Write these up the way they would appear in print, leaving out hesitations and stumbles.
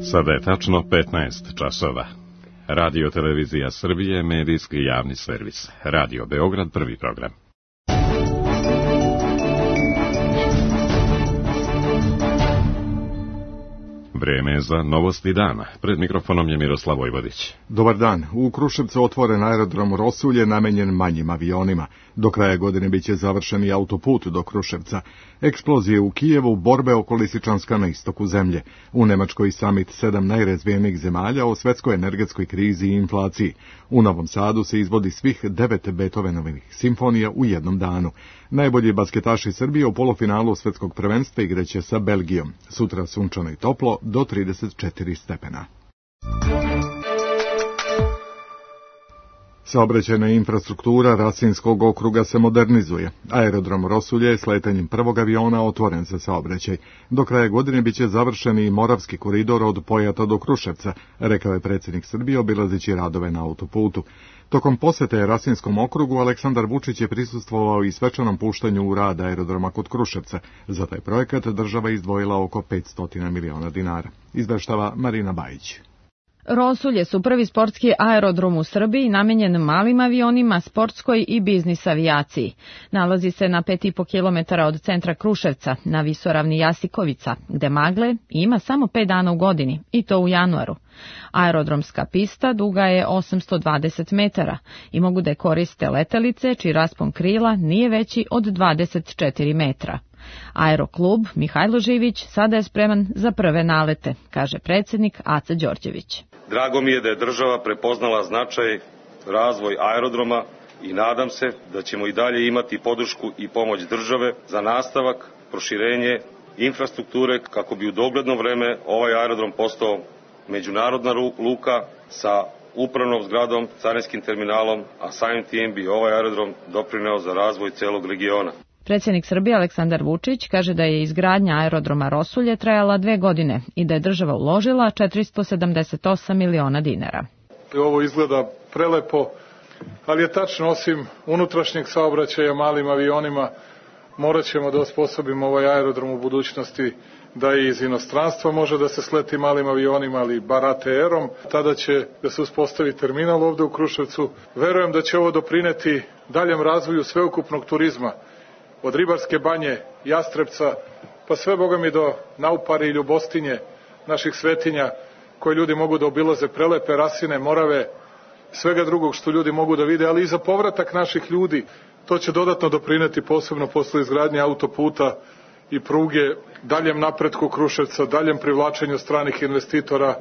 Sada je tačno 15 časova. Radio Televizija Srbije, medijski javni servis. Radio Beograd, prvi program. Vreme za novosti dana. Pred mikrofonom je Miroslav Vojvodić. Dobar dan. U Kruševcu otvoren aerodrom Rosulje namenjen manjim avionima. Do kraja godine biće završen i autoput do Kruševca. Eksplozije u Kijevu, borbe oko Lisičanska na istoku zemlje. U Nemačkoj samit 7 najrazvijenijih zemalja o svetskoj energetskoj krizi i inflaciji. U Novom Sadu se izvodi svih 9 Beethovenovih simfonija u jednom danu. Najbolji basketaši Srbije u polufinalu svetskog prvenstva igraće sa Belgijom. Sutra sunčano i toplo do 34 stepena. Saobraćajna infrastruktura Rasinskog okruga se modernizuje. Aerodrom Rosulje je s letanjem prvog aviona otvoren za saobraćaj. Do kraja godine biće završen i Moravski koridor od Pojata do Kruševca, rekao je predsjednik Srbije obilazeći radove na autoputu. Tokom posete Rasinskom okrugu Aleksandar Vučić je prisustvovao i svečanom puštanju u rad aerodroma kod Kruševca. Za taj projekat država izdvojila oko 500 miliona dinara. Izveštava Marina Bajić. Rosulje su prvi sportski aerodrom u Srbiji namenjen malim avionima, sportskoj i biznis avijaciji. Nalazi se na 5,5 km od centra Kruševca, na visoravni Jasikovica, gde magle ima samo 5 dana u godini, i to u januaru. Aerodromska pista duga je 820 metara i mogu da je koriste letelice čiji raspon krila nije veći od 24 metra. Aeroklub Mihajlo Živić sada je spreman za prve nalete, kaže predsjednik Aca Đorđević. Drago mi je da je država prepoznala značaj, razvoj aerodroma i nadam se da ćemo i dalje imati podršku i pomoć države za nastavak, proširenje infrastrukture kako bi u dogledno vreme ovaj aerodrom postao međunarodna luka sa upravnom zgradom, carinskim terminalom, a samim tim bi ovaj aerodrom doprineo za razvoj celog regiona. Predsjednik Srbije Aleksandar Vučić kaže da je izgradnja aerodroma Rosulje trajala 2 godine i da je država uložila 478 miliona dinara. Ovo izgleda prelepo, ali je tačno, osim unutrašnjeg saobraćaja malim avionima, morat ćemo da osposobimo ovaj aerodrom u budućnosti da i iz inostranstva može da se sleti malim avionima, ali bar ATR-om. Tada će da se uspostavi terminal ovde u Kruševcu. Verujem da će ovo doprineti daljem razvoju sveukupnog turizma, od Ribarske banje, Jastrebca, pa sve bogami do Naupare i Ljubostinje, naših svetinja, koje ljudi mogu da obilaze, prelepe Rasine, Morave, svega drugog što ljudi mogu da vide, ali i za povratak naših ljudi. To će dodatno doprineti posebno posle izgradnje autoputa i pruge, daljem napretku Kruševca, daljem privlačenju stranih investitora,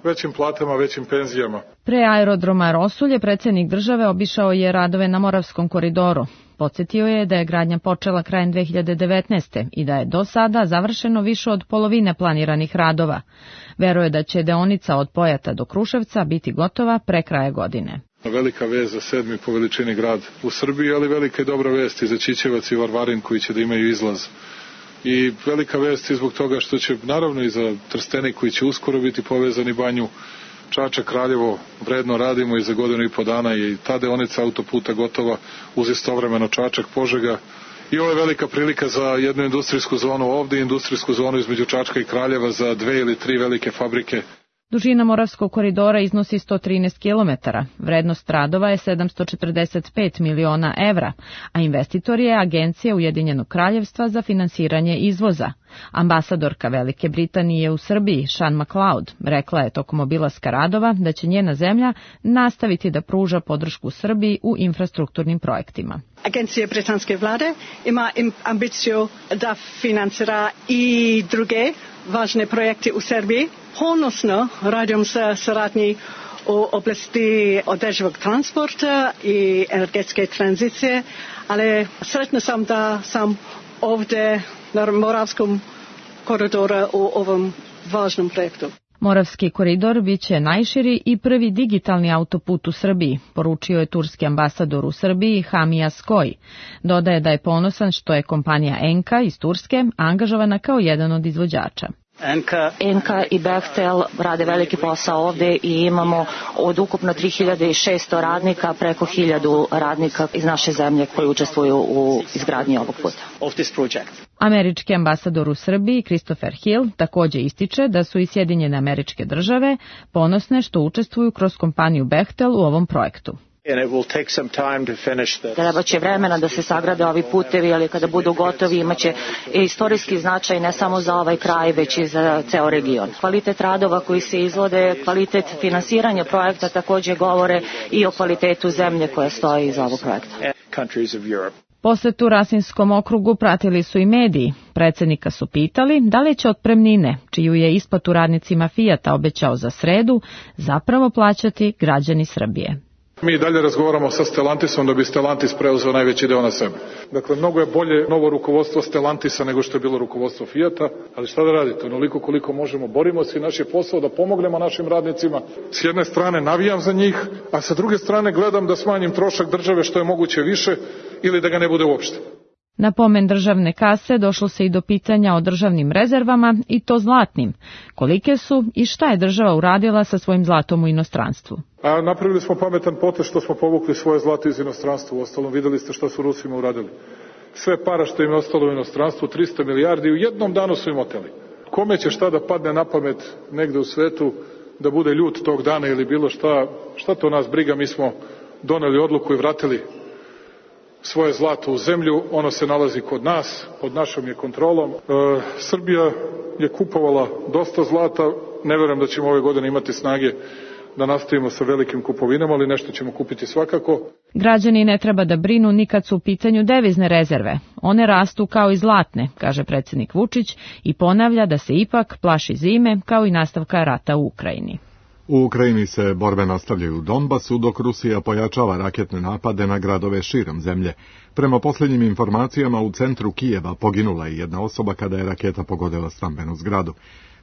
većim platama, većim penzijama. Pre aerodroma Rosulje predsjednik države obišao je radove na Moravskom koridoru. Podsjetio je da je gradnja počela krajem 2019. i da je do sada završeno više od polovine planiranih radova. Veruje da će deonica od Pojata do Kruševca biti gotova pre kraja godine. Velika vest za 7. po veličini grad u Srbiji, ali velika je dobra vest i za Ćićevac i Varvarin koji će da imaju izlaz. I velika vest i zbog toga što će naravno i za Trstenik koji će uskoro biti povezani Banju, Čačak, Kraljevo, vredno radimo i za 1,5 dana i ta deonica autoputa gotova uz istovremeno Čačak, Požega. I ovo je velika prilika za jednu industrijsku zonu ovde i industrijsku zonu između Čačka i Kraljeva za 2 ili 3 velike fabrike. Dužina Moravskog koridora iznosi 113 km, vrednost radova je 745 miliona evra, a investitor je Agencija Ujedinjenog kraljevstva za finansiranje izvoza. Ambasadorka Velike Britanije u Srbiji, Sean McLeod, rekla je tokom obilaska radova da će njena zemlja nastaviti da pruža podršku Srbiji u infrastrukturnim projektima. Agencija britanske vlade ima ambiciju da financira i druge važne projekte u Srbiji. Ponosno radim sa saradnji u oblasti održivog transporta i energetske tranzicije, ali sretna sam da sam ovdje na Moravskom koridoru u ovom važnom projektu. Moravski koridor biće najširi i prvi digitalni autoput u Srbiji, poručio je turski ambasador u Srbiji Hamija Skoj. Dodaje da je ponosan što je kompanija Enka iz Turske angažovana kao jedan od izvođača. Enka i Bechtel rade veliki posao ovde i imamo od ukupno 3600 radnika preko 1000 radnika iz naše zemlje koji učestvuju u izgradnji ovog puta. Američki ambasador u Srbiji, Christopher Hill, takođe ističe da su i Sjedinjene Američke Države ponosne što učestvuju kroz kompaniju Bechtel u ovom projektu. Treba će vremena da se sagrade ovi putevi, ali kada budu gotovi imaće istorijski značaj ne samo za ovaj kraj, već i za ceo region. Kvalitet radova koji se izvode, kvalitet finansiranja projekta takođe govore i o kvalitetu zemlje koja stoji iza ovog projekta. Posetu Rasinskom okrugu pratili su i mediji. Predsednika su pitali da li će otpremnine, čiju je isplatu radnicima Fijata obećao za sredu, zapravo plaćati građani Srbije. Mi dalje razgovaramo sa Stellantisom da bi Stellantis preuzeo najveći deo na sebe. Dakle, mnogo je bolje novo rukovodstvo Stellantisa nego što je bilo rukovodstvo Fijata, ali šta da radite, onoliko koliko možemo, borimo se i naš je posao da pomognemo našim radnicima. S jedne strane navijam za njih, a sa druge strane gledam da smanjim trošak države što je moguće više ili da ga ne bude uopšte. Na pomen državne kase došlo se i do pitanja o državnim rezervama, i to zlatnim. Kolike su i šta je država uradila sa svojim zlatom u inostranstvu? Napravili smo pametan potez što smo povukli svoje zlato iz inostranstva. Uostalom, videli ste šta su Rusima uradili. Sve para što im je ostalo u inostranstvu, 300 milijardi, u jednom danu su im oteli. Kome će šta da padne na pamet negde u svetu da bude ljut tog dana ili bilo šta to nas briga, mi smo doneli odluku i vratili svoje zlato u zemlju, ono se nalazi kod nas, pod našom je kontrolom. Srbija je kupovala dosta zlata, ne verujem da ćemo ove godine imati snage da nastavimo sa velikim kupovinama, ali nešto ćemo kupiti svakako. Građani ne treba da brinu ni kad su u pitanju devizne rezerve. One rastu kao i zlatne, kaže predsjednik Vučić i ponavlja da se ipak plaši zime kao i nastavka rata u Ukrajini. U Ukrajini se borbe nastavljaju u Donbasu, dok Rusija pojačava raketne napade na gradove širom zemlje. Prema posljednjim informacijama, u centru Kijeva poginula je jedna osoba kada je raketa pogodila stambenu zgradu.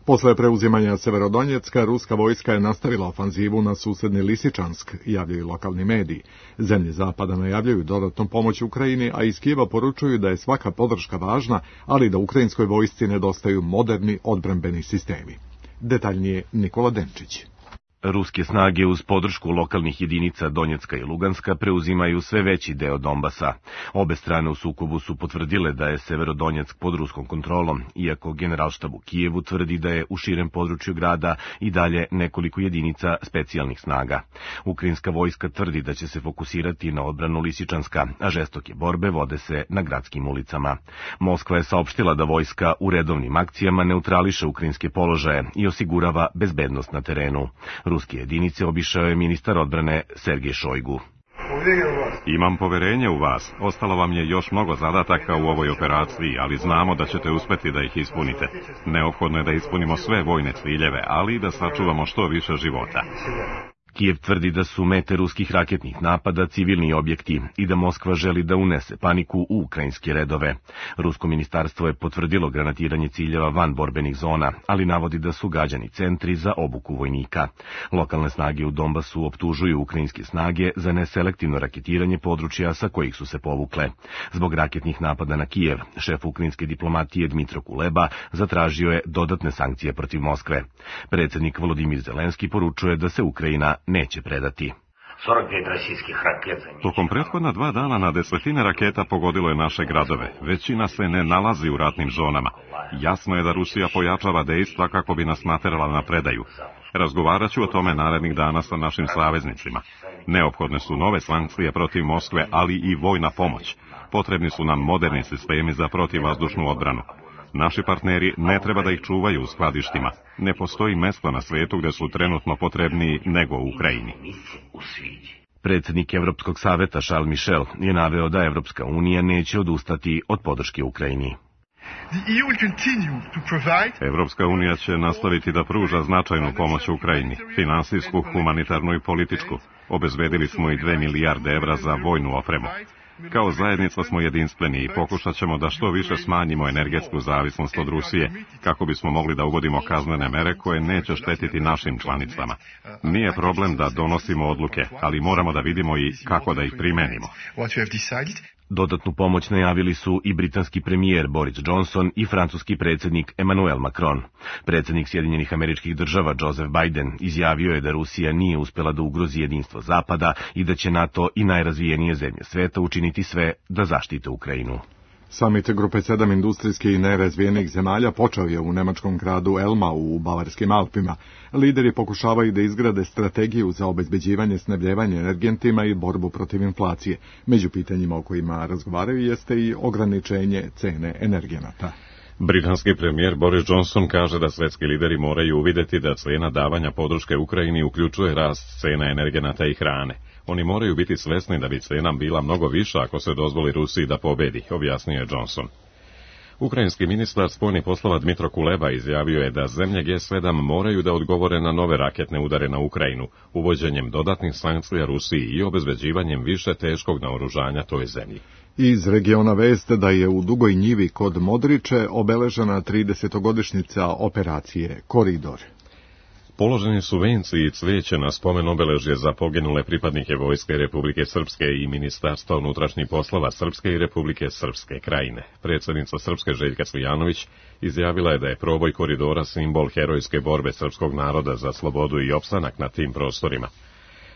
Posle preuzimanja Severodonjecka, ruska vojska je nastavila ofanzivu na susedni Lisičansk, javljaju lokalni mediji. Zemlje zapada najavljaju dodatnu pomoć Ukrajini, a iz Kijeva poručuju da je svaka podrška važna, ali da ukrajinskoj vojsci nedostaju moderni odbrambeni sistemi. Detaljnije Nikola Denčić. Ruske snage uz podršku lokalnih jedinica Donjecka i Luganska preuzimaju sve veći deo Donbasa. Obe strane u sukobu su potvrdile da je Severodonjeck pod ruskom kontrolom, iako Generalštab u Kijevu tvrdi da je u širem području grada i dalje nekoliko jedinica specijalnih snaga. Ukrajinska vojska tvrdi da će se fokusirati na odbranu Lisičanska, a žestoke borbe vode se na gradskim ulicama. Moskva je saopštila da vojska u redovnim akcijama neutrališe ukrajinske položaje i osigurava bezbednost na terenu. Ruske jedinice obišao je ministar odbrane Sergej Šojgu. Imam poverenje u vas. Ostalo vam je još mnogo zadataka u ovoj operaciji, ali znamo da ćete uspeti da ih ispunite. Neophodno je da ispunimo sve vojne ciljeve, ali i da sačuvamo što više života. Kijev tvrdi da su mete ruskih raketnih napada civilni objekti i da Moskva želi da unese paniku u ukrajinske redove. Rusko ministarstvo je potvrdilo granatiranje ciljeva van borbenih zona, ali navodi da su gađani centri za obuku vojnika. Lokalne snage u Donbasu optužuju ukrajinske snage za neselektivno raketiranje područja sa kojih su se povukle. Zbog raketnih napada na Kijev, šef ukrajinske diplomatije Dmitro Kuleba zatražio je dodatne sankcije protiv Moskve. Predsjednik Volodimir Zelenski poručuje da se Ukrajina neće predati. Tokom prethodna 2 dana na desetine raketa pogodilo je naše gradove. Većina se ne nalazi u ratnim zonama. Jasno je da Rusija pojačava dejstva kako bi nas naterala na predaju. Razgovarat ću o tome narednih dana sa našim saveznicima. Neophodne su nove sankcije protiv Moskve, ali i vojna pomoć. Potrebni su nam moderni sistemi za protivvazdušnu odbranu. Naši partneri ne treba da ih čuvaju u skladištima. Ne postoji mesto na svijetu gdje su trenutno potrebniji nego u Ukrajini. Predsjednik Evropskog saveta Charles Michel je naveo da Evropska unija neće odustati od podrške Ukrajini. Evropska unija će nastaviti da pruža značajnu pomoć Ukrajini, finansijsku, humanitarnu i političku. Obezbedili smo i 2 milijarde evra za vojnu opremu. Kao zajednica smo jedinstveni i pokušat ćemo da što više smanjimo energetsku zavisnost od Rusije, kako bismo mogli da uvodimo kaznene mere koje neće štetiti našim članicama. Nije problem da donosimo odluke, ali moramo da vidimo i kako da ih primenimo. Dodatnu pomoć najavili su i britanski premijer Boris Johnson i francuski predsjednik Emmanuel Macron. Predsjednik Sjedinjenih Američkih Država Joseph Biden izjavio je da Rusija nije uspjela da ugrozi jedinstvo Zapada i da će NATO i najrazvijenije zemlje sveta učiniti sve da zaštite Ukrajinu. Samit grupe 7 industrijskih i nerazvijenih zemalja počeo je u nemačkom gradu Elmau u Bavarskim Alpima. Lideri pokušavaju da izgrade strategiju za obezbeđivanje snabdijevanja energentima i borbu protiv inflacije. Među pitanjima o kojima razgovaraju jeste i ograničenje cene energenata. Britanski premijer Boris Johnson kaže da svetski lideri moraju uvidjeti da cena davanja podrške Ukrajini uključuje rast cena energenata i hrane. Oni moraju biti svesni da bi cena bila mnogo viša ako se dozvoli Rusiji da pobedi, objasnio je Johnson. Ukrajinski ministar spoljnih poslova Dmitro Kuleba izjavio je da zemlje G7 moraju da odgovore na nove raketne udare na Ukrajinu, uvođenjem dodatnih sankcija Rusiji i obezbeđivanjem više teškog naoružanja toj zemlji. Iz regiona vest da je u Dugoj Njivi kod Modriče obeležena 30-godišnjica operacije Koridor. Položeni su venci i cvijeće na spomen obeležje za poginule pripadnike Vojske Republike Srpske i Ministarstva unutrašnjih poslova Srpske i Republike Srpske krajine. Predsjednica Srpske Željka Cvijanović izjavila je da je proboj koridora simbol herojske borbe srpskog naroda za slobodu i opstanak na tim prostorima.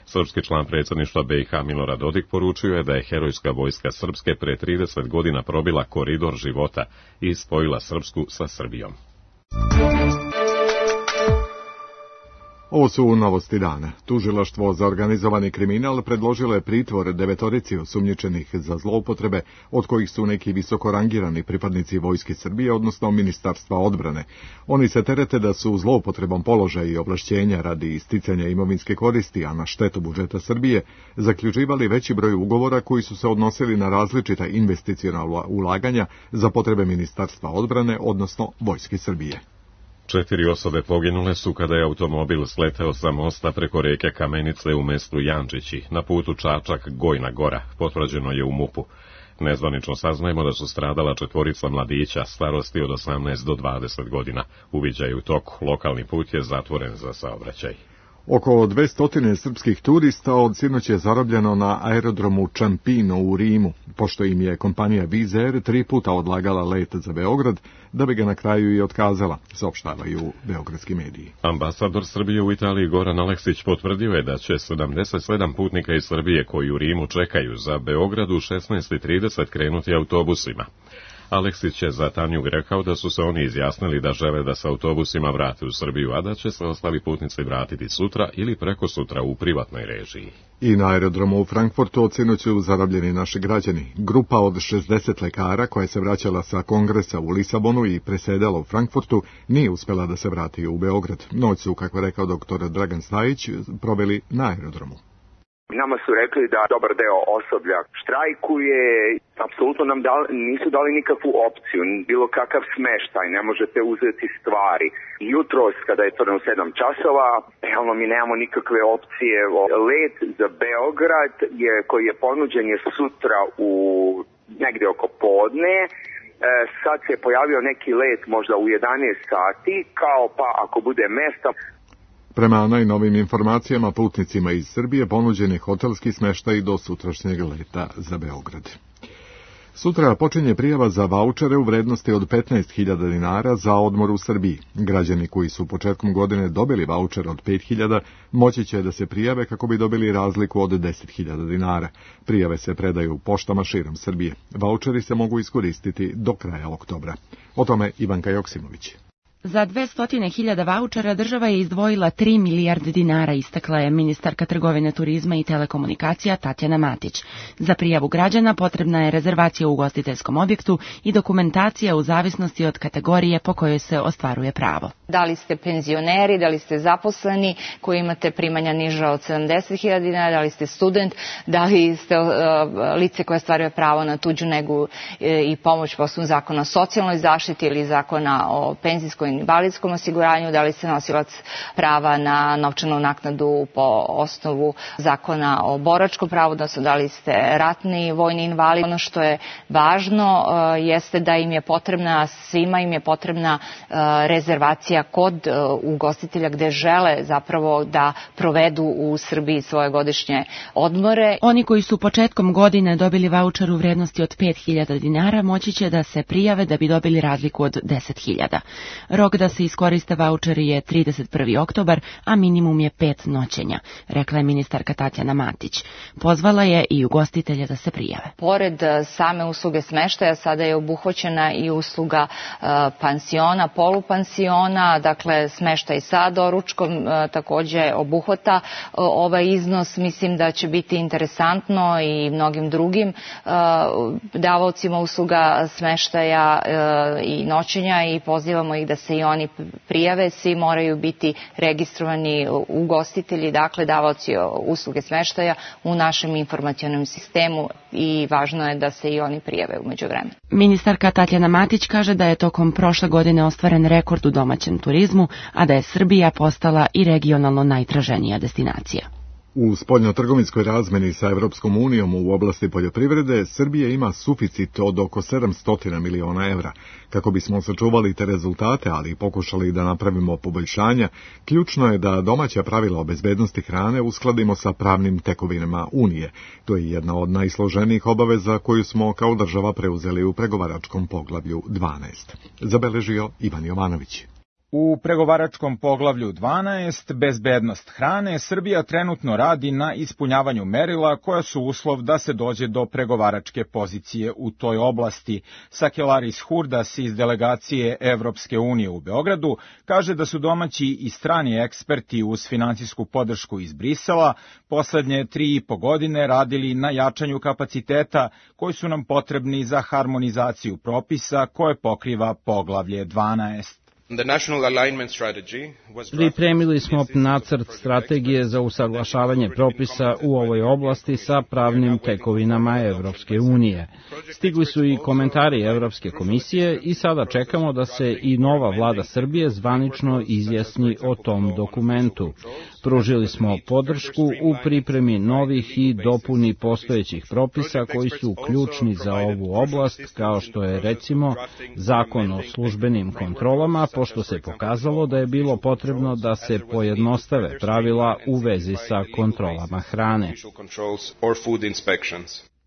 Srpski član predsjedništva BiH Milorad Dodik poručio je da je herojska vojska Srpske pre 30 godina probila koridor života i spojila Srpsku sa Srbijom. Ovo su novosti dana. Tužilaštvo za organizovani kriminal predložilo je pritvor 9 osumnjičenih za zloupotrebe, od kojih su neki visoko rangirani pripadnici Vojske Srbije, odnosno Ministarstva odbrane. Oni se terete da su zloupotrebom položaja i ovlašćenja radi sticanja imovinske koristi, a na štetu budžeta Srbije, zaključivali veći broj ugovora koji su se odnosili na različita investiciona ulaganja za potrebe Ministarstva odbrane, odnosno Vojske Srbije. 4 osobe poginule su kada je automobil sleteo sa mosta preko reke Kamenice u mestu Jančići, na putu Čačak-Gojna Gora, potvrđeno je u MUP-u. Nezvanično saznajemo da su stradala 4 mladića starosti od 18 do 20 godina. Uviđaj je u toku, lokalni put je zatvoren za saobraćaj. Oko 200 srpskih turista od sinoć je zarobljeno na aerodromu Čampino u Rimu, pošto im je kompanija Wizz Air 3 puta odlagala let za Beograd, da bi ga na kraju i otkazala, saopštavaju beogradski mediji. Ambasador Srbije u Italiji Goran Aleksić potvrdio je da će 77 putnika iz Srbije koji u Rimu čekaju za Beograd u 16:30 krenuti autobusima. Aleksić je za Tanjug rekao da su se oni izjasnili da žele da se autobusima vrate u Srbiju, a da će se ostali putnici vratiti sutra ili preko sutra u privatnoj režiji. I na aerodromu u Frankfurtu od sinoć su zarobljeni naši građani. Grupa od 60 lekara koja se vraćala sa kongresa u Lisabonu i presedala u Frankfurtu nije uspela da se vrati u Beograd. Noć su, kako je rekao dr. Dragan Stajić, proveli na aerodromu. Nama su rekli da dobar deo osoblja štrajkuje, apsolutno nam nisu dali nikakvu opciju, bilo kakav smeštaj, ne možete uzeti stvari. Jutros, kada je to u 7 časova, realno mi nemamo nikakve opcije. Let za Beograd koji je ponuđen je sutra u negde oko podne. Sad se pojavio neki let možda u 11 sati, kao pa ako bude mesta. Prema najnovim informacijama, putnicima iz Srbije ponuđen je hotelski smeštaj do sutrašnjeg leta za Beograd. Sutra počinje prijava za vaučere u vrednosti od 15.000 dinara za odmor u Srbiji. Građani koji su početkom godine dobili vaučer od 5.000 moći će da se prijave kako bi dobili razliku od 10.000 dinara. Prijave se predaju poštama širom Srbije. Vaučeri se mogu iskoristiti do kraja oktobra. O tome Ivanka Joksimović. Za 200.000 vaučera država je izdvojila 3 milijarde dinara, istakla je ministarka trgovine, turizma i telekomunikacija Tatjana Matić. Za prijavu građana potrebna je rezervacija u ugostiteljskom objektu i dokumentacija u zavisnosti od kategorije po kojoj se ostvaruje pravo. Da li ste penzioneri, da li ste zaposleni koji imate primanja niža od 70.000 dinara, da li ste student, da li ste lice koje ostvaruje pravo na tuđu negu i pomoć po osnovu zakona o socijalnoj zaštiti ili zakona o penzijskoj invalidskom osiguranju, da li ste nosilac prava na novčanu naknadu po osnovu zakona o boračkom pravu, odnosno da li ste ratni vojni invalid. Ono što je važno jeste da im je potrebna, svima im je potrebna rezervacija kod ugostitelja gde žele zapravo da provedu u Srbiji svoje godišnje odmore. Oni koji su početkom godine dobili vaučer u vrednosti od 5.000 dinara moći će da se prijave da bi dobili razliku od 10.000. Rok da se iskoriste vaučeri je 31. oktobar, a minimum je 5 noćenja, rekla je ministarka Tatjana Matić. Pozvala je i ugostitelje da se prijave. Pored same usluge smeštaja, sada je obuhvaćena i usluga pansiona, polupansiona, dakle smeštaj sa doručkom takođe obuhvata ovaj iznos. Mislim da će biti interesantno i mnogim drugim davaocima usluga smeštaja i noćenja i pozivamo ih da se i oni prijave. Svi moraju biti registrovani ugostitelji, dakle davaoci usluge smeštaja u našem informacionom sistemu i važno je da se i oni prijave u međuvremenu. Ministarka Tatjana Matić kaže da je tokom prošle godine ostvaren rekord u domaćem turizmu, a da je Srbija postala i regionalno najtraženija destinacija. U spoljnotrgovinskoj razmeni sa Evropskom unijom u oblasti poljoprivrede Srbija ima suficit od oko 700 miliona evra. Kako bismo sačuvali te rezultate, ali i pokušali da napravimo poboljšanja, ključno je da domaća pravila o bezbednosti hrane uskladimo sa pravnim tekovinama Unije. To je jedna od najsloženijih obaveza koju smo kao država preuzeli u pregovaračkom poglavlju 12. Zabeležio Ivan Jovanović. U pregovaračkom poglavlju 12, bezbednost hrane, Srbija trenutno radi na ispunjavanju merila koja su uslov da se dođe do pregovaračke pozicije u toj oblasti. Sakelaris Hurdas iz delegacije Evropske unije u Beogradu kaže da su domaći i strani eksperti uz finansijsku podršku iz Brisela poslednje 3,5 godine radili na jačanju kapaciteta koji su nam potrebni za harmonizaciju propisa koje pokriva poglavlje 12. Pripremili smo nacrt strategije za usaglašavanje propisa u ovoj oblasti sa pravnim tekovinama Evropske unije. Stigli su i komentari Evropske komisije i sada čekamo da se i nova vlada Srbije zvanično izjasni o tom dokumentu. Pružili smo podršku u pripremi novih i dopuni postojećih propisa koji su ključni za ovu oblast, kao što je recimo Zakon o službenim kontrolama, pošto se pokazalo da je bilo potrebno da se pojednostave pravila u vezi sa kontrolama hrane.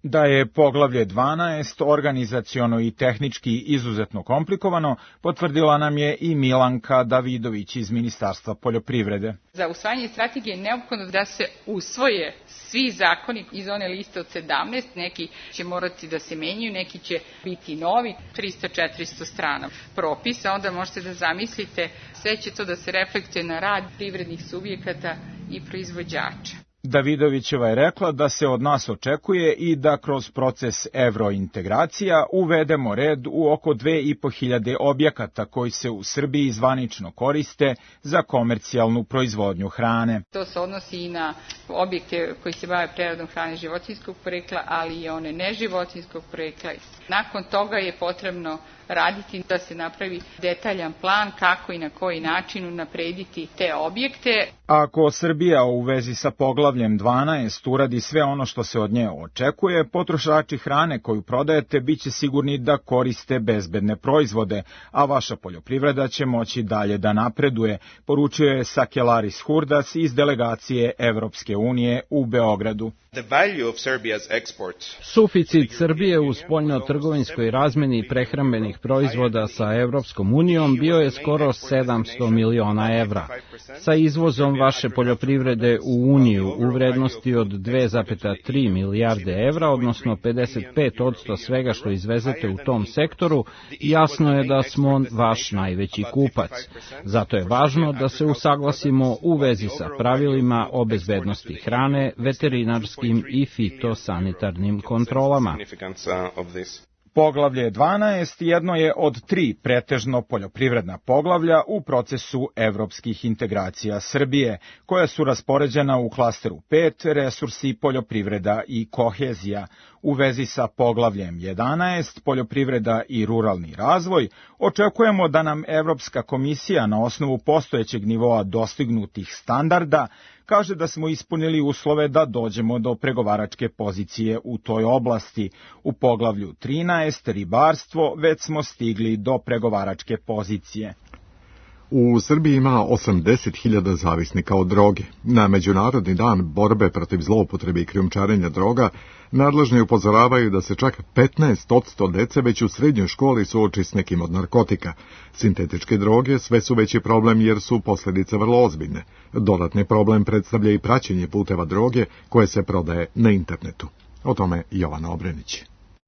Da je poglavlje 12 organizaciono i tehnički izuzetno komplikovano, potvrdila nam je i Milanka Davidović iz Ministarstva poljoprivrede. Za usvajanje strategije je neophodno da se usvoje svi zakoni iz one liste od 17, neki će morati da se menjaju, neki će biti novi, 300-400 strana propisa, onda možete da zamislite, sve će to da se reflektuje na rad privrednih subjekata i proizvođača. Davidovićeva je rekla da se od nas očekuje i da kroz proces evrointegracija uvedemo red u oko 2.500 objekata koji se u Srbiji zvanično koriste za komercijalnu proizvodnju hrane. To se odnosi i na objekte koji se bave preradom hrane životinjskog porekla, ali i one neživotinjskog porekla. Nakon toga je potrebno raditi da se napravi detaljan plan kako i na koji način unaprediti te objekte. Ako Srbija u vezi sa poglavljem 12 uradi sve ono što se od nje očekuje, potrošači hrane koju prodajete biće sigurni da koriste bezbedne proizvode, a vaša poljoprivreda će moći dalje da napreduje, poručio je Sakelaris Hurdas iz delegacije Evropske unije u Beogradu. Suficit Srbije u spoljno-trgovinskoj razmeni prehrambenih proizvoda sa Evropskom unijom bio je skoro 700 miliona evra. Sa izvozom vaše poljoprivrede u Uniju u vrednosti od 2,3 milijarde evra, odnosno 55% svega što izvezete u tom sektoru, jasno je da smo vaš najveći kupac. Zato je važno da se usaglasimo u vezi sa pravilima o bezbednosti hrane, veterinarskim i fitosanitarnim kontrolama. Poglavlje 12 jedno je od 3 pretežno poljoprivredna poglavlja u procesu evropskih integracija Srbije, koja su raspoređena u klasteru 5, resursi, poljoprivreda i kohezija. U vezi sa poglavljem 11, poljoprivreda i ruralni razvoj, očekujemo da nam Evropska komisija na osnovu postojećeg nivoa dostignutih standarda kaže da smo ispunili uslove da dođemo do pregovaračke pozicije u toj oblasti. U poglavlju 13, ribarstvo, već smo stigli do pregovaračke pozicije. U Srbiji ima 80.000 zavisnika od droge. Na Međunarodni dan borbe protiv zloupotrebe i krijumčarenja droga nadležni upozoravaju da se čak 15% dece već u srednjoj školi suoči s nekim od narkotika. Sintetičke droge sve su veći problem jer su posljedice vrlo ozbiljne. Dodatni problem predstavlja i praćenje puteva droge koje se prodaje na internetu. O tome Jovana Obrenić.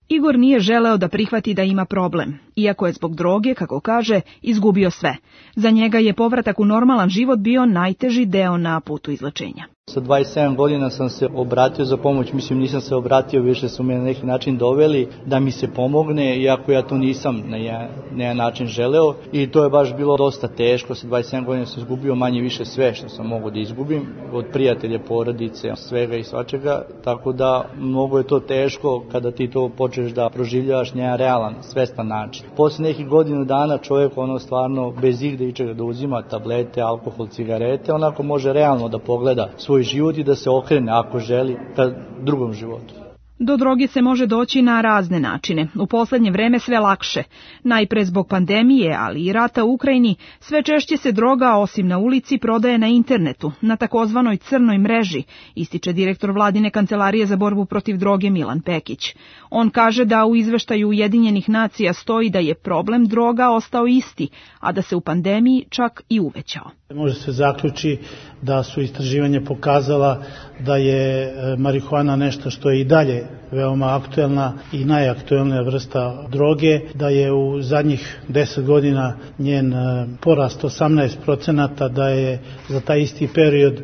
Igor nije želeo da prihvati da ima problem, iako je zbog droge, kako kaže, izgubio sve. Za njega je povratak u normalan život bio najteži deo na putu izlečenja. Sa 27 godina sam se obratio za pomoć, nisam se obratio, više su me na neki način doveli da mi se pomogne, iako ja to nisam na jedan način želeo i to je baš bilo dosta teško. Sa 27 godina sam izgubio manje više sve što sam mogao da izgubim, od prijatelja, porodice, svega i svačega, tako da mnogo je to teško kada ti to počneš da proživljavaš na jedan realan, svestan način. Posle nekih godinu dana čovjek stvarno bez igde ičega da uzima tablete, alkohol, cigarete, onako može realno da pogleda svoj život i da se okrene ako želi ka drugom životu. Do droge se može doći na razne načine. U poslednje vreme sve lakše. Najpre zbog pandemije, ali i rata u Ukrajini, sve češće se droga, osim na ulici, prodaje na internetu, na takozvanoj crnoj mreži, ističe direktor Vladine kancelarije za borbu protiv droge Milan Pekić. On kaže da u izveštaju Ujedinjenih nacija stoji da je problem droga ostao isti, a da se u pandemiji čak i uvećao. Može se zaključi da su istraživanja pokazala da je marihuana nešto što je i dalje veoma aktuelna i najaktuelnija vrsta droge, da je u zadnjih 10 godina njen porast 18%, da je za taj isti period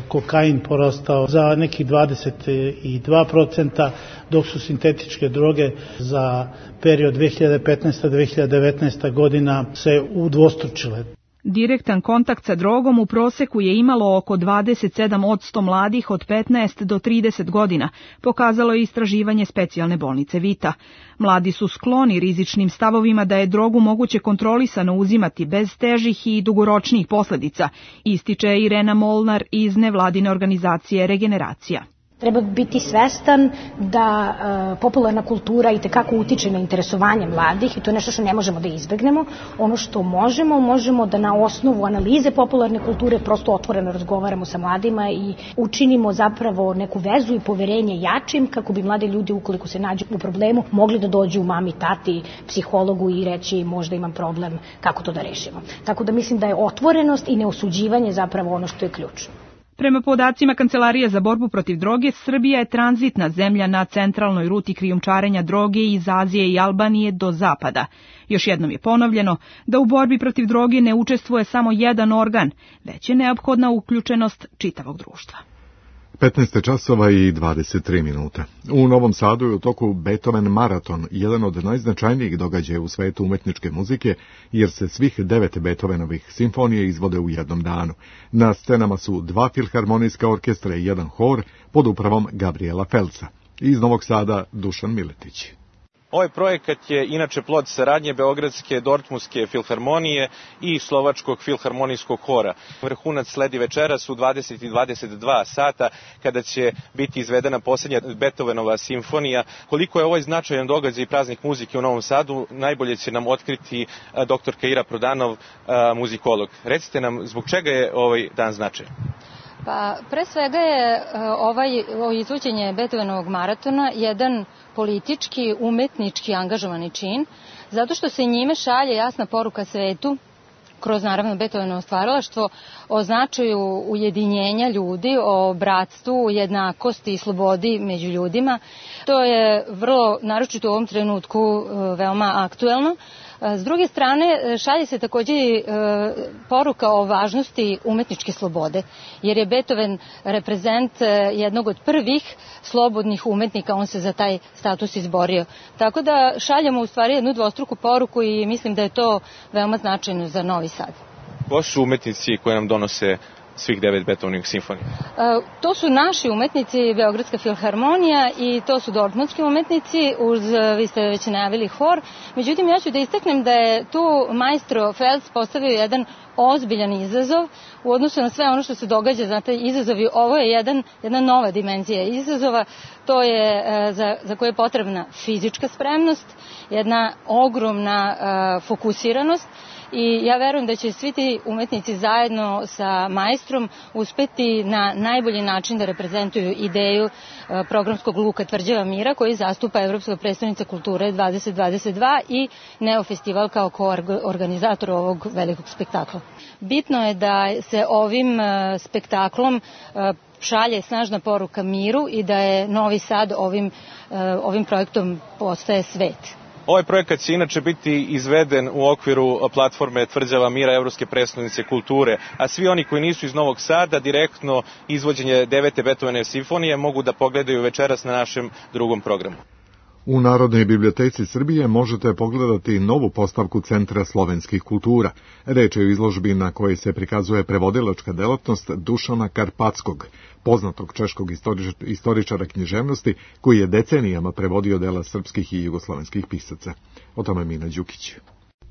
kokain porastao za nekih 22%, dok su sintetičke droge za period 2015-2019 godina se udvostručile. Direktan kontakt sa drogom u proseku je imalo oko 27% mladih od 15 do 30 godina, pokazalo je istraživanje specijalne bolnice Vita. Mladi su skloni rizičnim stavovima da je drogu moguće kontrolisano uzimati bez težih i dugoročnih posljedica, ističe Irena Molnar iz nevladine organizacije Regeneracija. Treba biti svestan da popularna kultura itekako utiče na interesovanje mladih i to je nešto što ne možemo da izbegnemo. Ono što možemo da na osnovu analize popularne kulture prosto otvoreno razgovaramo sa mladima i učinimo zapravo neku vezu i poverenje jačim kako bi mladi ljudi, ukoliko se nađu u problemu, mogli da dođu mami, tati, psihologu i reći možda imam problem, kako to da rešimo. Tako da mislim da je otvorenost i neosuđivanje zapravo ono što je ključno. Prema podacima Kancelarije za borbu protiv droge, Srbija je tranzitna zemlja na centralnoj ruti krijumčarenja droge iz Azije i Albanije do zapada. Još jednom je ponovljeno da u borbi protiv droge ne učestvuje samo jedan organ, već je neophodna uključenost čitavog društva. 15 časova i 23 minuta. U Novom Sadu je u toku Beethoven maraton, jedan od najznačajnijih događaja u svetu umetničke muzike, jer se svih 9 Beethovenovih simfonije izvode u jednom danu. Na scenama su 2 filharmonijska orkestra i 1 hor pod upravom Gabriela Felca. Iz Novog Sada Dušan Miletić. Ovaj projekat je inače plod saradnje Beogradske Dortmundske filharmonije i Slovačkog filharmonijskog hora. Vrhunac sledi večeras u 20:22 sata kada će biti izvedena posljednja Beethovenova simfonija. Koliko je ovaj značajan događaj i praznik muzike u Novom Sadu, najbolje će nam otkriti dr. Kaira Prodanov, muzikolog. Recite nam, zbog čega je ovaj dan značajan? Pa, pre svega je ovo izvođenje Beethovenovog maratona jedan politički, umetnički angažovani čin, zato što se njime šalje jasna poruka svetu, kroz naravno Beethovenovo stvaralaštvo, o značaju ujedinjenja ljudi, o bratstvu, jednakosti i slobodi među ljudima. To je vrlo, naročito u ovom trenutku, veoma aktuelno. S druge strane, šalje se također poruka o važnosti umetničke slobode, jer je Beethoven reprezent jednog od prvih slobodnih umetnika, on se za taj status izborio. Tako da šaljemo u stvari jednu dvostruku poruku i mislim da je to veoma značajno za Novi Sad. Ko su umetnici koje nam donose svih 9 Beethovenovih simfonija? To su naši umetnici, Beogradska filharmonija, i to su dortmundski umetnici, uz, vi ste već najavili, hor. Međutim, ja ću da istaknem da je tu maestro Felc postavio jedan ozbiljan izazov u odnosu na sve ono što se događa. Znate, izazovi, ovo je jedna nova dimenzija izazova, to je za koje je potrebna fizička spremnost, jedna ogromna fokusiranost i ja verujem da će svi ti umetnici zajedno sa maestrom uspeti na najbolji način da reprezentuju ideju programskog luka Tvrđava mira koji zastupa Evropska prestonica kulture 2022 i Neo festival kao koorganizator ovog velikog spektakla. Bitno je da se ovim spektaklom šalje snažna poruka miru i da je Novi Sad ovim projektom postaje svet. Ovaj projekat će inače biti izveden u okviru platforme Tvrđava mira Evropske prestonice kulture, a svi oni koji nisu iz Novog Sada direktno izvođenje 9. Beethovenove simfonije mogu da pogledaju večeras na našem drugom programu. U Narodnoj biblioteci Srbije možete pogledati novu postavku Centra slovenskih kultura. Reč je o izložbi na kojoj se prikazuje prevodilačka delatnost Dušana Karpatskog, poznatog češkog istoričara književnosti koji je decenijama prevodio dela srpskih i jugoslovenskih pisaca. O tome Mina Đukić.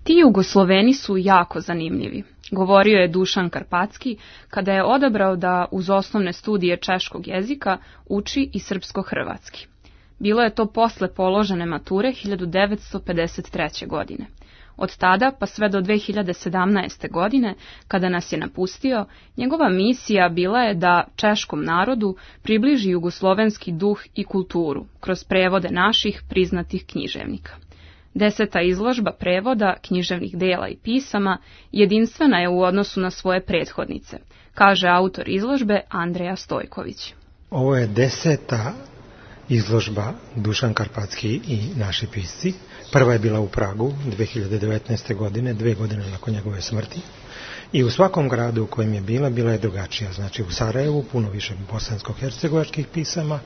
Ti Jugosloveni su jako zanimljivi, govorio je Dušan Karpatski kada je odabrao da uz osnovne studije češkog jezika uči i srpsko-hrvatski. Bilo je to posle položene mature 1953. godine. Od tada pa sve do 2017. godine, kada nas je napustio, njegova misija bila je da češkom narodu približi jugoslovenski duh i kulturu kroz prevode naših priznatih književnika. 10. izložba prevoda književnih dela i pisama jedinstvena je u odnosu na svoje prethodnice, kaže autor izložbe Andreja Stojković. Ovo je 10. izložba Dušan Karpatski i naši pisci. Prva je bila u Pragu 2019. godine, 2 godine nakon njegove smrti. I u svakom gradu u kojem je bila je drugačija. Znači u Sarajevu puno više bosansko-hercegovačkih pisama,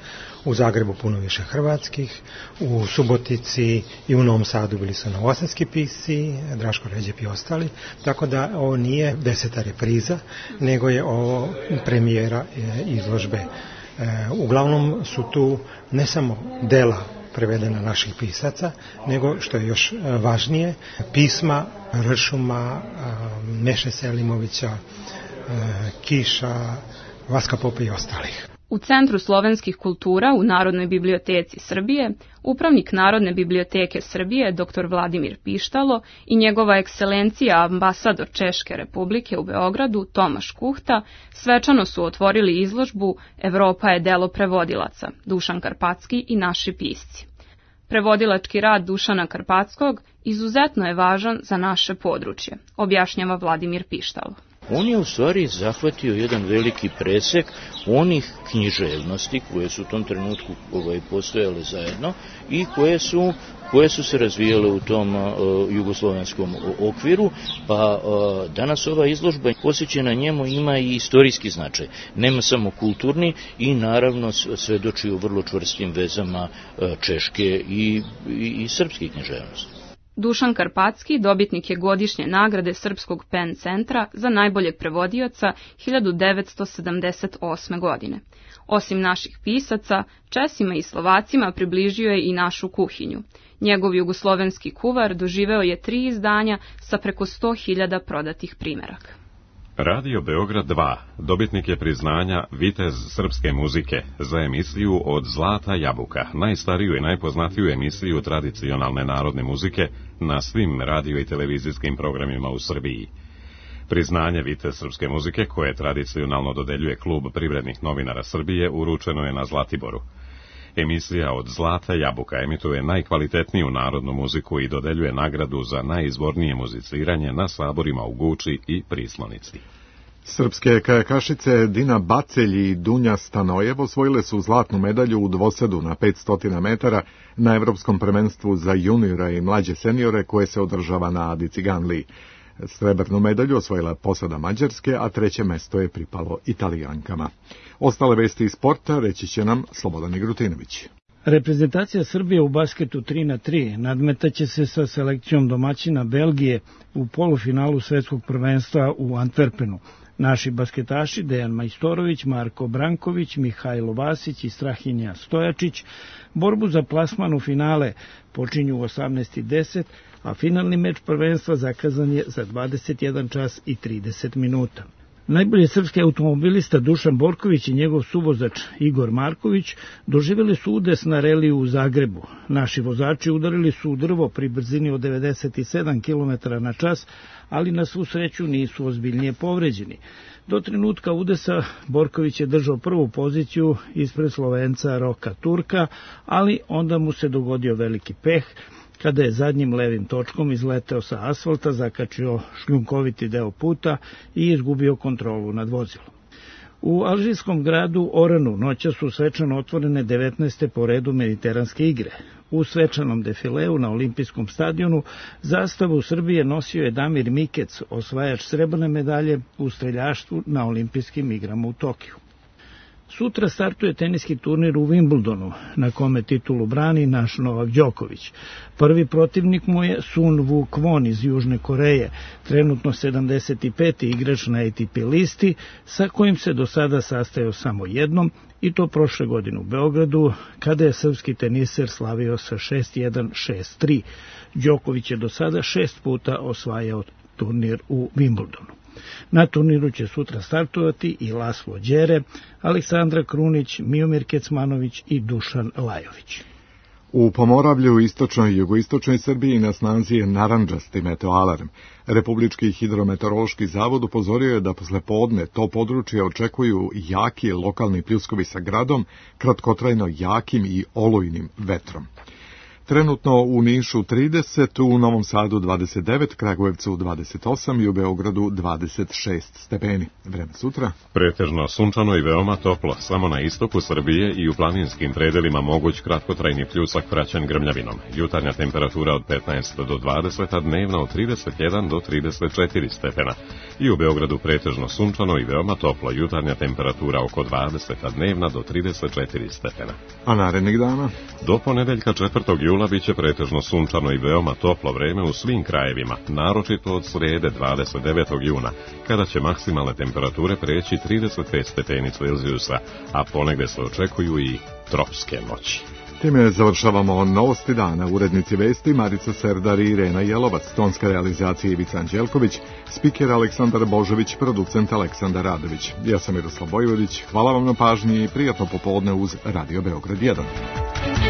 u Zagrebu puno više hrvatskih, u Subotici i u Novom Sadu bili su novosadski pisci, Draško Ređep i ostali. Tako da ovo nije 10. repriza, nego je ovo premijera izložbe. Uglavnom su tu ne samo dela prevedena naših pisaca, nego što je još važnije, pisma Ršuma, Meše Selimovića, Kiša, Vaska Pope i ostalih. U Centru slovenskih kultura u Narodnoj biblioteci Srbije, upravnik Narodne biblioteke Srbije dr. Vladimir Pištalo i njegova ekscelencija ambasador Češke republike u Beogradu Tomaš Kuhta svečano su otvorili izložbu Evropa je delo prevodilaca, Dušan Karpatski i naši pisci. Prevodilački rad Dušana Karpatskog izuzetno je važan za naše područje, objašnjava Vladimir Pištalo. On je u stvari zahvatio jedan veliki presek onih književnosti koje su u tom trenutku postojale zajedno i koje su se razvijale u tom jugoslovenskom okviru, pa danas ova izložba posvećena njemu ima i istorijski značaj. Nema samo kulturni i naravno svedoči o vrlo čvrstim vezama češke i srpske književnosti. Dušan Karpatski dobitnik je godišnje nagrade Srpskog PEN centra za najboljeg prevodioca 1978. godine. Osim naših pisaca, Česima i Slovacima približio je i našu kuhinju. Njegov jugoslovenski kuvar doživeo je 3 izdanja sa preko 100.000 prodatih primeraka. Radio Beograd 2 dobitnik je priznanja Vitez srpske muzike za emisiju Od zlata jabuka, najstariju i najpoznatiju emisiju tradicionalne narodne muzike na svim radio i televizijskim programima u Srbiji. Priznanje Vitez srpske muzike, koje tradicionalno dodeljuje Klub privrednih novinara Srbije, uručeno je na Zlatiboru. Emisija Od zlata jabuka emituje najkvalitetniju narodnu muziku i dodeljuje nagradu za najizvornije muziciranje na saborima u Guči i Prislonici. Srpske kajakašice Dina Bacelj i Dunja Stanojev osvojile su zlatnu medalju u dvosedu na 500 metara na Evropskom prvenstvu za juniora i mlađe seniore koje se održava na Adi Ciganliji. Srebrnu medalju osvojila posada Mađarske, a 3. mesto je pripalo Italijankama. Ostale vesti iz sporta reći će nam Slobodan Igrutinović. Reprezentacija Srbije u basketu 3x3 nadmetaće se sa selekcijom domaćina Belgije u polufinalu svetskog prvenstva u Antwerpenu. Naši basketaši Dejan Majstorović, Marko Branković, Mihajlo Vasić i Strahinja Stojačić borbu za plasman u finale počinju u 18:10, a finalni meč prvenstva zakazan je za 21 čas i 30 minuta. Najbolji srpski automobilista Dušan Borković i njegov suvozač Igor Marković doživjeli su udes na reliju u Zagrebu. Naši vozači udarili su u drvo pri brzini od 97 km na čas, ali na svu sreću nisu ozbiljnije povređeni. Do trenutka udesa Borković je držao prvu poziciju ispred Slovenca Roka Turka, ali onda mu se dogodio veliki peh, kada je zadnjim levim točkom izleteo sa asfalta, zakačio šljunkoviti deo puta i izgubio kontrolu nad vozilom. U alžirskom gradu Oranu noća su svečano otvorene 19. po redu mediteranske igre. U svečanom defileu na olimpijskom stadionu zastavu Srbije nosio je Damir Mikec, osvajač srebrne medalje u streljaštvu na olimpijskim igrama u Tokiju. Sutra startuje teniski turnir u Wimbledonu, na kome titulu brani naš Novak Đoković. Prvi protivnik mu je Sun Woo Kwon iz Južne Koreje, trenutno 75. igrač na ATP listi, sa kojim se do sada sastajao samo jednom, i to prošle godine u Beogradu, kada je srpski teniser slavio sa 6-1, 6-3. Đoković je do sada 6 puta osvajao turnir u Wimbledonu. Na turniru će sutra startovati i Laslo Đere, Aleksandra Krunić, Miomir Kecmanović i Dušan Lajović. U Pomoravlju, istočnoj i jugoistočnoj Srbiji na snazi je narandžasti meteoalarm. Republički hidrometeorološki zavod upozorio je da posle podne to područje očekuju jaki lokalni pljuskovi sa gradom, kratkotrajno jakim i olujnim vetrom. Trenutno u Nišu 30, u Novom Sadu 29, Kragujevcu 28 i u Beogradu 26 stepeni. Vreme sutra. Pretežno sunčano i veoma toplo, samo na istoku Srbije i u planinskim predelima moguć kratkotrajni pljusak praćen grmljavinom. Jutarnja temperatura od 15 do 20, a dnevna od 31 do 34 stepena. I u Beogradu pretežno sunčano i veoma toplo, jutarnja temperatura oko 20, a dnevna do 34 stepena. A narednih dana? Do ponedeljka 4. jula biće pretežno sunčano i veoma toplo vreme u svim krajevima, naročito od srede 29. juna, kada će maksimalne temperature preći 35 stepeni Celzijusa, a ponegde se očekuju i tropske noći. Time završavamo novosti dana. Urednici vesti Marica Serdar i Irena Jelovac, tonska realizacija Ivica Anđelković, spiker Aleksandar Božović, producent Aleksandar Radović. Ja sam Miroslav Bojvodić, hvala vam na pažnji i prijatno popodne uz Radio Beograd 1.